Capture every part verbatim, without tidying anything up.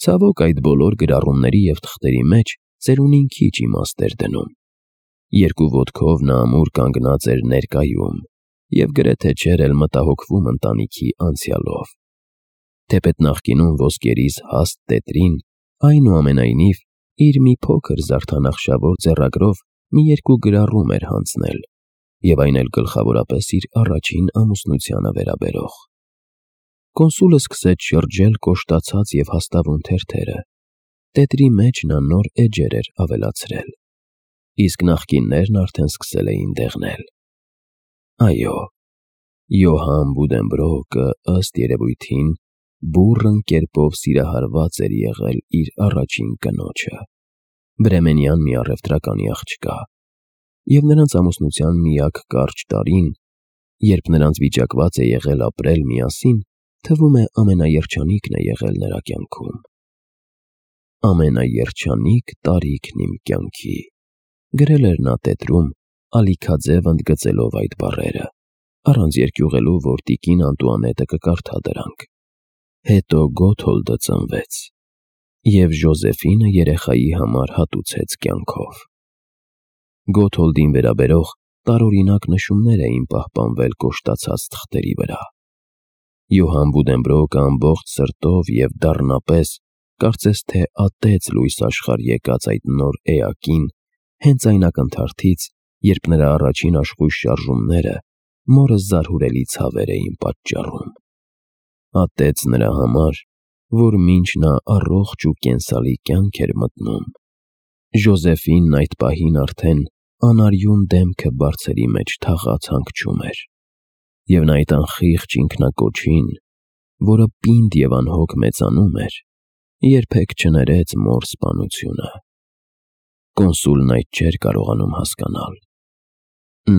Ցավոք այդ բոլոր գրառումների և թղթերի մեջ ծերունին քիչ իմաստ էր դնում։ Երկու ոտքով նա ամուր կանգնած էր ներկայում և գրեթե չէր էլ մտահոգվում ընտանիքի անցյալով։ Թեպետ նախկինում ոսկերիզ հաստ տետրին, այնուամենայնիվ, իր մի փոքր զարդանախշավոր ձեռագրով մի երկու գրառում էր հանձնել, և այն էլ գլխավորապես իր առաջին ամուսնությանը վերաբերող։ Կոնսուլը սկսեց շրջել կոշտացած և հաստավուն թերթերը։ Տետրի մեջ նա նոր էջեր էր ավելացրել, իսկ նախկիններն արդեն սկսել էին դեղնել։ Այո, Յոհան Բուդենբրոկը, ըստ երևույթին, բուռն կերպով սիրահարված էր եղել իր առաջին կնոջը, բրեմենյան մի առևտրականի աղջկա, և նրանց ամուսնության միակ կարճ տարին, երբ նրանց վիճակված է եղել ապրել միասին, թվում է ամենաերջանիկն է եղել նրա կյանքում։ «Ամենաերջանիկ տարիքն իմ կյանքի», գրել էր նա տետրում, ալիքաձև ընդգծելով այդ բառերը, առանց երկյուղելու, որ տիկին Անտուանետը կկարդա դրանք։ Հետո Գոթոլդը ծնվեց, և Ժոզեֆինը երեխայի համար հատուցեց կյանքով։ Գոթոլդին վերաբերող տարօրինակ նշումներ էին պահպանվել կոշտացած թղթերի վրա։ Յոհան Բուդենբրոկը ամբողջ սրտով և դառնապես, կարծես թե ատեց լույս աշխարհ եկած այդ նոր էակին հենց այն ակնթարթից, երբ նրա առաջին աշխույժ շարժումները մորը զարհուրելի ցավեր էին պատճառում։ Ատեց նրա համար, որ մինչ նա առողջ ու կենսալի կյանք էր մտնում, Ժոզեֆինն այդ պահին արդեն անարյուն դեմքը բարձերի մեջ թաղած հանգչում էր, և նա այդ անխիղճ ինքնակոչին, որը պինդ և անհոգ մեծանում էր, երբեք չներեց մոր սպանությունը։ Կոնսուլն այդ չէր կարողանում հասկանալ։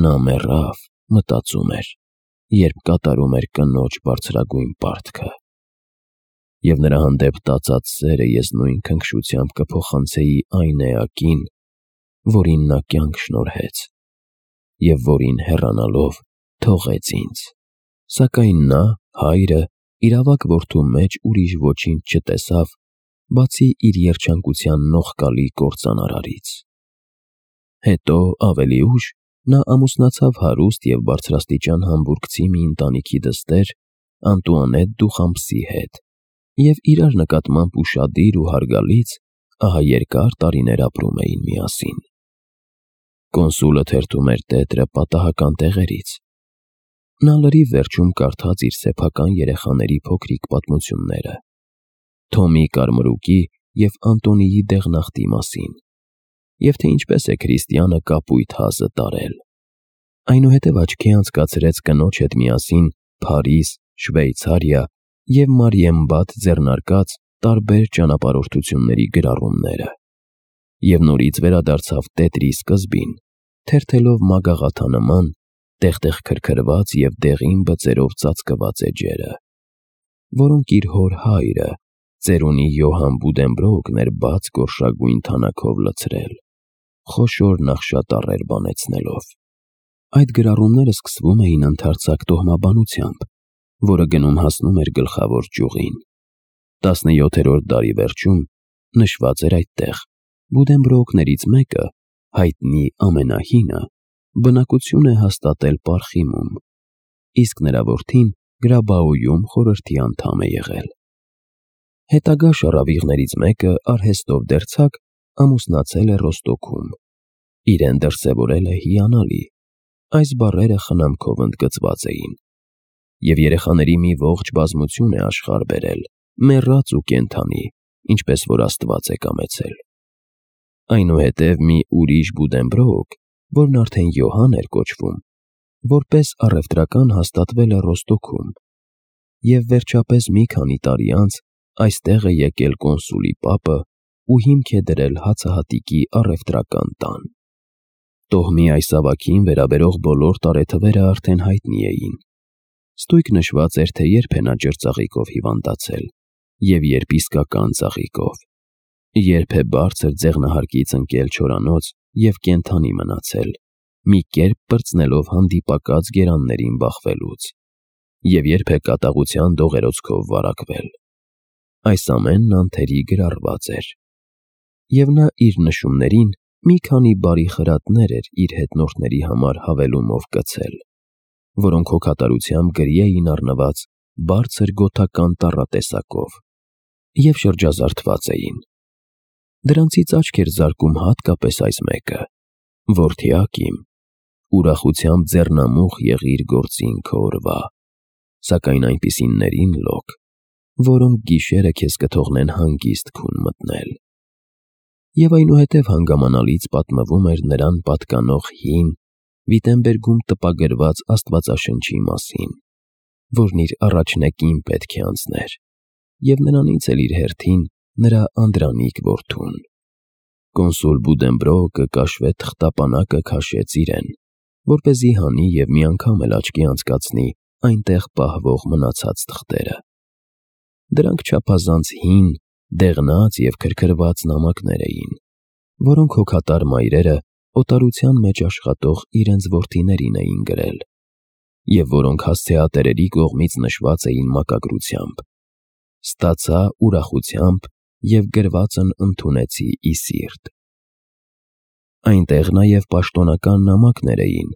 Նա մեռավ, մտածում էր, երբ կատարում էր կնոջ բարձրագույն պարտքը, և նրա հանդեպ տածած սերը ես նույն քնքշությամբ կփոխանցեի այն էակին, որին նա կյանք շնորհեց, և որին հեռանալով թողեց ինձ, սակայն նա, հայրը, իր ավագ որդու մեջ ուրիշ ոչինչ չտեսավ, բացի իր երջանկության նողկալի կործանարարից։ Հետո, ավելի ուշ, նա ամուսնացավ հարուստ և բարձրաստիճան համբուրգցի մի ընտանիքի դստեր՝ Անտուանետ Դուխամպսի հետ, և իրար նկատմամբ ուշադիր ու հարգալից ահա երկար տարիներ ապրում էին միասին։ Կոնսուլը թերթում էր տետրը պատահական տեղերից։ Նա լրիվ վերջում կարդաց իր սեփական երեխաների փոքրիկ պատմությունները, Թոմի կարմրուկի և Անտոնիի դեղնախտի մասին, և թե ինչպես է քրիստյանը կապույտ հազը տարել։ Այնուհետև աչքի անցկացրեց կնոջ հետ միասին Փարիզ, Շվեյցարիա և Մարիենբադ ձեռնարկած տարբեր ճանապարհորդությունների գրառումները, և նորից վերադարձավ տետրի սկզբին, թերթելով մագաղաթանման, տեղ-տեղ քրքրված և դեղին բծերով ծածկված էջերը, որոնք իր հոր հայրը, ծերունի Յոհան Բուդենբրոկն էր բաց գորշագույն թանաքով լցրել, խոշոր նախշատառեր բանեցնելով։ Այդ գրառումները սկսվում էին ընդարձակ տոհմաբանությամբ, որը գնում հասնում էր գլխավոր ճյուղին։ Տասնյոթերորդ դարի վերջում, նշված էր այդտեղ, Բուդենբրոկներից մեկը, հայտնի ամենահինը, բնակություն է հաստատել Պարխիմում, իսկ նրա որդին Գրաբաոյում խորհրդի անդամ է եղել։ Հետագա շառավիղներից մեկը, արհեստով դերձակ, ամուսնացել է Ռոստոքում, իրեն դրսևորել է հիանալի, այս բառերը խնամքով ընդգծված էին, և երեխաների մի ողջ բազմություն է աշխարհ բերել, մեռած ու կենդանի, ինչպես որ Աստված է կամեցել։ Այնուհետև մի ուրիշ Բուդենբրոկ, որն արդեն Յոհան էր կոչվում, որպես առևտրական հաստատվել է Ռոստոքում, և վերջապես մի քանի տարի անց այստեղ է եկել կոնսուլի պապը ու հիմք է դրել հացահատիկի առևտրական տան։ Տոհմի այս ավագին վերաբերող բոլոր տարեթվերը արդեն հայտնի էին։ Ստույգ նշված էր, թե երբ է նա ջրծաղիկով հիվանդացել և երբ իսկական ծաղիկով, երբ է բարձր ձեղնահարկից ընկել չորանոց և կենդանի մնացել, մի կերպ պրծնելով հանդիպակաց գերաններին բախվելուց, և երբ է կատաղության դողերոցքով վարակվել։ Այս ամենն անթերի գրառված էր, և նա իր նշումներին մի քանի բարի խրատներ էր իր հետնորդների համար հավելումով կցել, որոնք հոգատարությամբ գրի էին առնված բարձր գոթական տառատեսակով և շրջազարդված էին։ Դրանցից աչք էր զարկում հատկապես այս մեկը. «Որդյակ իմ, ուրախությամբ ձեռնամուխ եղիր գործին քո օրվա, սակայն այնպիսիներին լոք, որոնք գիշերը քեզ կթողնեն հանգիստ քուն մտնել»։ Եվ այնուհետև հանգամանալից պատմվում էր նրան պատկանող հին, Վիտենբերգում տպագրված աստվածաշնչի մասին, որն իր առաջնեկին պետք է անցներ, և նրանից էլ իր հերթին նրա անդրանիկ որդուն։ Կոնսուլ Բուդենբրոկը կաշվե թղթապանակը քաշեց իրեն, որպեսզի հանի և մի անգամ էլ աչքի անցկացնի այնտեղ պահվող մնացած թղթերը։ Դրանք չափազանց հին, դեղնած և քրքրված նամակներ էին, որոնք հոգատար մայրերը օտարության մեջ աշխատող իրենց որդիներին էին գրել, և որոնք հասցեատերերի կողմից նշված էին մակագրությամբ. «Ստացա ուրախությամբ և գրվածն ընդունեցի ի սիրտ»։ Այնտեղ նաև պաշտոնական նամակներ էին,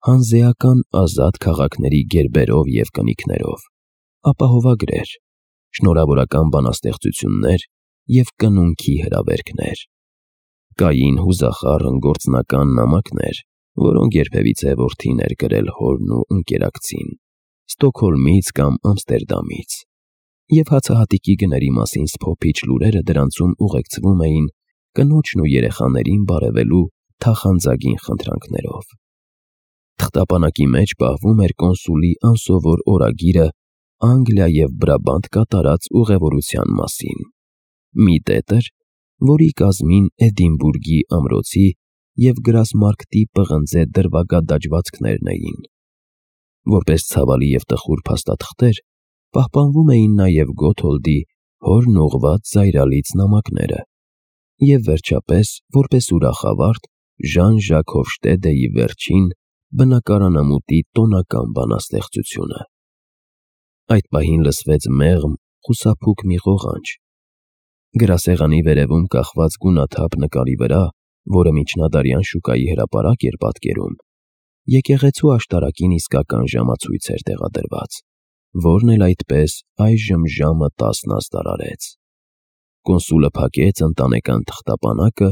հանզեական ազատ քաղաքների գերբերով և կնիքներով, ապահովագրեր, շնորհավորական բանաստեղծություններ և կնունքի հրավերքներ։ Կային հուզախառն գործնական նամակներ, որոնք երբևիցե որդին էր գրել հորն ու ընկերակցին Ստոկհոլմից կամ Ամստերդամից, և հացահատիկի գների մասին սփոփիչ լուրերը դրանցում ուղեկցվում էին կնոջն ու երեխաներին բարևելու թախանձագին խնդրանքներով։ Թղթապանակի մեջ պահվում էր կոնսուլի անսովոր օրագիրը Անգլիա և Բրաբանտ կատարած ուղևորության մասին։ Մի տետր, որի կազմին Էդինբուրգի ամրոցի և Գրասմարքտի պղնձե դրվագադաջվածքներն էին։ Որպես ցավալի և տխուր փաստաթղթեր պահպանվում էին նաև Գոթոլդի հորն ուղղված զայրալից նամակները և, վերջապես, որպես ուրախավարտ, Ժան Ժակ Հոֆշտեդեի վերջին բնակարանամուտի տոնական բանաստեղծությունը։ Այդ պահին լսվեց մեղմ, խուսափուկ մի ղողանջ։ Գրասեղանի վերևում կախված գունաթափ նկարի վրա, որը միջնադարյան շուկայի հրապարակ էր պատկերում, եկեղեցու աշտարակին իսկական ժամացույց էր տեղադրված, որն էլ այդպես այժմ ժամը տասն ազդար արեց։ Կոնսուլը փակեց ընտանեկան թղթապանակը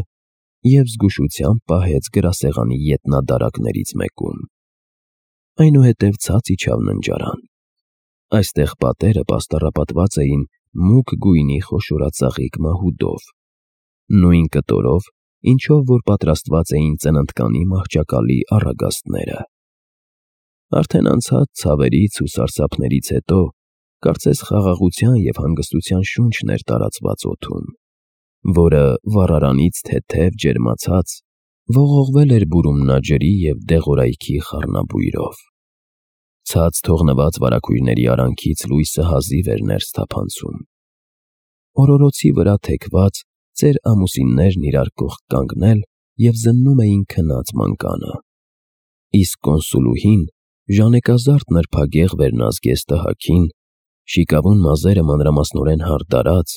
և զգուշությամբ պահեց գրասեղանի ետնադարակներից մեկում։ Այնուհետև ցած իջավ ննջարան։ Այստեղ պատերը պաստառապատված էին մուգ գույնի խոշորածաղիկ մահուդով, նույն կտորով, ինչով որ պատրաստված էին ծննդկանի մահճակալի առագաստները։ Արդեն անցած ցավերից ու սարսափներից հետո կարծես խաղաղության և հանգստության շունչն էր տարածված օդում, որը, վառարանից թեթև ջերմացած, ողողվել էր բուրումնաջրի և դեղորայքի խառնաբույրով։ Ցած թողնված վարագույրների արանքից լույսը հազիվ էր ներս թափանցում։ Օրորոցի վրա թեքված, ծեր ամուսիններն իրար կողք կանգնել և զննում էին քնած մանկանը, իսկ կոնսուլուհին ժանեկազարդ նրբագեղ վերնազգեստ տհաքին, շիկավուն մազերը մանրամասնորեն հարդարած,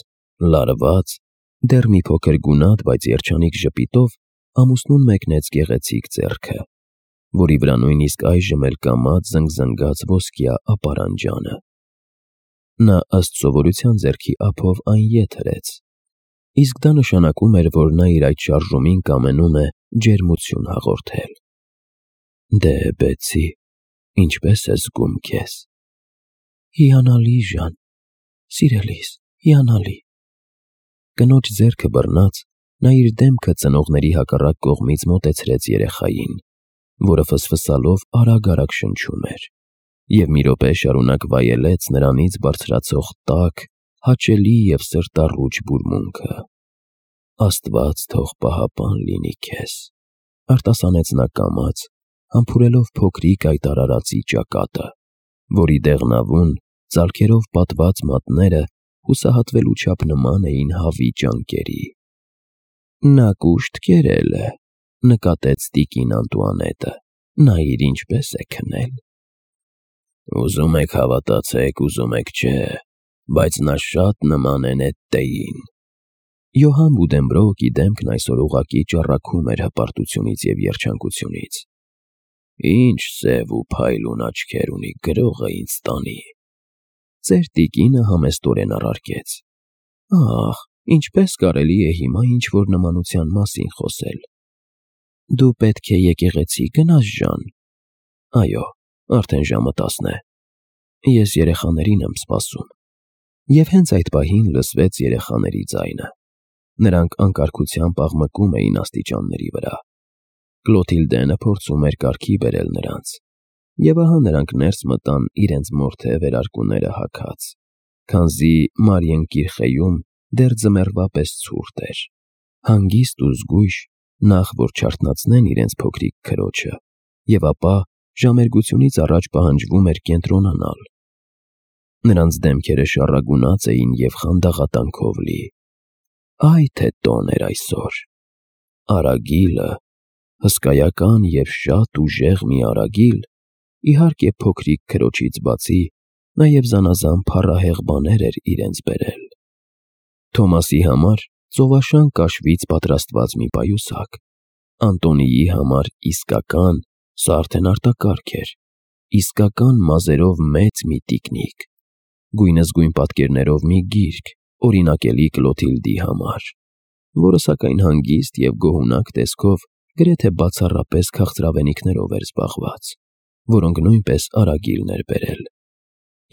լարված, դեռ մի փոքր գունատ, բայց երջանիկ ժպիտով ամուսնուն մեկնեց գեղեցիկ ձեռքը, որի վրա նույնիսկ այժմ էլ կամաց զնգզնգաց ոսկյա ապարանջանը։ Նա ըստ սովորության ձեռքի ափով այն ետ հրեց, իսկ դա նշանակում էր, որ նա իր այդ շարժումին կամենում է ջերմություն հաղորդել։ «Դե, Բեցի, ինչպե՞ս ես զգում քեզ»։ «Հիանալի, Ժան, սիրելիս, հիանալի»։ Կնոջ ձեռքը բռնած, նա իր դեմքը ծնողների հակառակ կողմից մոտեցրեց երեխային, որը ֆսֆսալով արագ-արագ շնչում էր, և մի րոպե շարունակ վայելեց նրանից բարձրացող տաք, հաճելի և սրտառուչ բուրմունքը։ «Աստված թող պահապան լինի քեզ», արտասանեց նա կամաց, համբուրելով փոքրիկ այդ արարածի ճակատը, որի դեղնավուն, ծալքերով պատված մատները հուսահատվելու չափ նման էին հավի ճանկերի։ «Նա կուշտ կերել է», նկատեց տիկին Անտուանետը, «նայիր ինչպես է քնել»։ «Ուզում եք հավատացեք, ուզում եք՝ չէ, բայց նա շատ նման է Նետտեին։ Յոհան Բուդենբրոուկի դեմքն այսօր ուղղակի ճառագում էր հպարտությունից և երջանկությունից։ Ինչ սև ու փայլուն աչքեր ունի, գրողը ինձ տանի։ Ծեր տիկինը համեստորեն առարկեց. Ահ, ինչպես կարելի է հիմա ինչ-որ նմանության մասին խոսել։ Դու պետք է եկեղեցի գնաս, Ժան։ Այո, արդեն ժամը տասն է։ Ես երեխաներին եմ սպասում։ Եվ հենց այդ պահին լսվեց երեխաների ձայնը։ Նրանք անկարգությամբ աղմկում էին աստիճանների վրա։ Կլոթիլդենը փորձում էր կարգի բերել նրանց։ Եվ ահա նրանք ներս մտան իրենց մորթե վերարկուները հագած, քանզի Մարիենկիրխեյում դեռ ձմեռվա պես ցուրտ էր, հանգիստ ու զգույշ, նախ որ չարթնացնեն իրենց փոքրիկ քրոջը, և ապա ժամերգությունից առաջ պահանջվում էր կենտրոնանալ։ Նրանց դեմքերը շառագունած էին և խանդաղատանքով լի։ Այ թե տոն էր այսօր։ Արագիլը, հսկայական և շատ ուժեղ մի արագիլ, իհարկե փոքրիկ քրոջից բացի, նաև զանազան փառահեղ բաներ էր իրենց բերել։ Թոմասի համար ծովաշան կաշվից պատրաստված մի պայուսակ, Անտոնիի համար իսկական, սա արդեն արտակարգ էր, իսկական մազերով մեծ մի տիկնիկ, գույնզգույն պատկերներով մի գիրք, օրինակելի Կլոթիլդի համար, որը սակայն հանգիստ և գոհունակ տեսքով գրեթե բացառապես քաղցրավենիքներով էր զբաղված, որոնք նույնպես արագիլն էր բերել,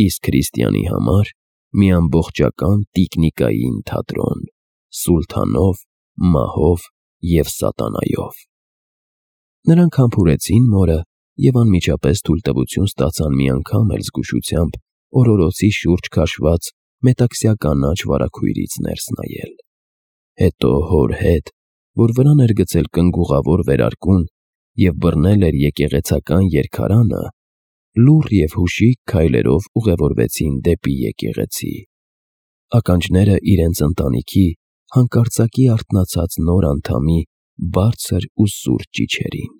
իսկ Քրիստիանի համար մի ամբողջական տիկնիկային թատրոն՝ Սուլթանով, մահով և սատանայով։ Նրանք համբուրեցին մորը և անմիջապես թույլտվություն ստացան մի անգամ էլ զգուշությամբ օրորոցի շուրջ քաշված մետաքսյա կանաչ վարագույրից ներս նայել։ Հետո հոր հետ, որ վրան էր գցել կնգուղավոր վերարկուն և բռնել էր եկեղեցական երգարանը, լուռ և հուշիկ քայլերով ուղևորվեցին դեպի եկեղեցի։ Ականջները իրենց ընտանիքի հանկարծակի արթնացած նոր անդամի բարձր ու սուր ճիչերին։